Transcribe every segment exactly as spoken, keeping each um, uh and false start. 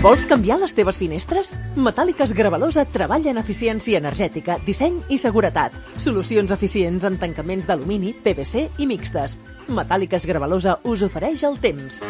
Vols canviar les teves finestres? Metàl·liques Gravalosa treballa en eficiència energètica, disseny i seguretat. Solucions eficients en tancaments d'alumini, P V C i mixtes. Metàl·liques Gravalosa us ofereix el temps.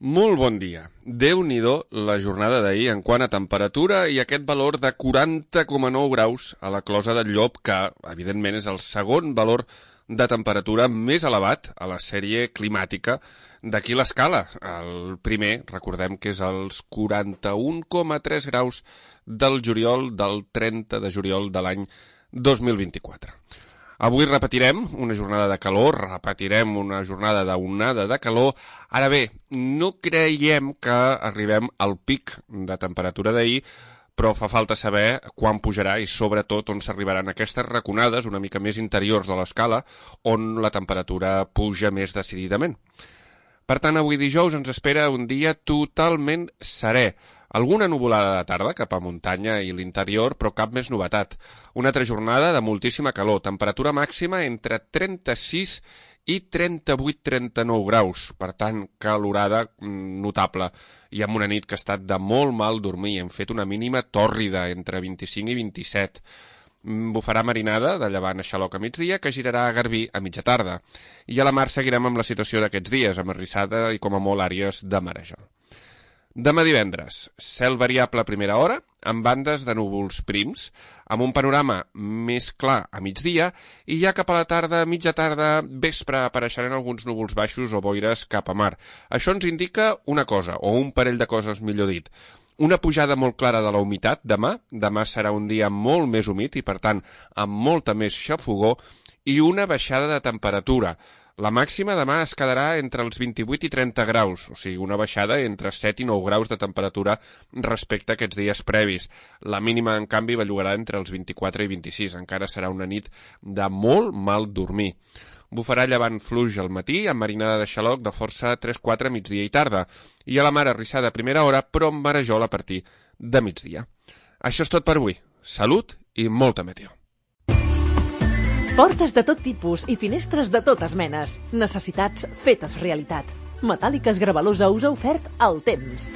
Molt bon dia. Déu-n'hi-do la jornada d'ahir en quant a temperatura i aquest valor de quaranta coma nou graus a la Closa del Llop, que, evidentment, és el segon valor de temperatura més elevat a la sèrie climàtica d'aquí l'escala. El primer, recordem que és els quaranta-un coma tres graus del juliol del trenta de juliol de l'any dos mil vint-i-quatre. Avui repetirem una jornada de calor, repetirem una jornada d'onada de calor. Ara bé, no creiem que arribem al pic de temperatura d'ahir, però fa falta saber quan pujarà i sobretot on s'arribaran aquestes raconades una mica més interiors de l'escala, on la temperatura puja més decididament. Per tant, avui dijous ens espera un dia totalment serè. Alguna nuvolada de tarda cap a muntanya i l'interior, però cap més novetat. Una altra jornada de moltíssima calor, temperatura màxima entre trenta-sis i trenta-vuit trenta-nou graus, per tant, calorada notable, i amb una nit que ha estat de molt mal dormir. Hem fet una mínima tòrrida, entre vint-i-cinc i vint-i-set. Bufarà marinada de llevant a xaloc a migdia, que girarà a Garbí a mitja tarda. I a la mar seguirem amb la situació d'aquests dies, amb arrissada i com a molt àrees de marejol. Demà divendres, cel variable a primera hora, amb bandes de núvols prims, amb un panorama més clar a migdia, i ja cap a la tarda, mitja tarda, vespre, apareixeran alguns núvols baixos o boires cap a mar. Això ens indica una cosa, o un parell de coses, millor dit. Una pujada molt clara de la humitat demà, demà serà un dia molt més humit i, per tant, amb molta més xafogor, i una baixada de temperatura. La màxima demà es quedarà entre els vint-i-vuit i trenta graus, o sigui, una baixada entre set i nou graus de temperatura respecte a aquests dies previs. La mínima, en canvi, bellugarà entre els vint-i-quatre i vint-i-sis. Encara serà una nit de molt mal dormir. Bufarà llevant fluix al matí, amb marinada de xaloc de força tres quatre migdia i tarda, i a la mar arrissada a primera hora, però amb marejol a partir de migdia. Això és tot per avui. Salut i molta meteo. Portes de tot tipus i finestres de totes menes. Necessitats fetes realitat. Metàl·liques Gravalosa us ha ofert el temps.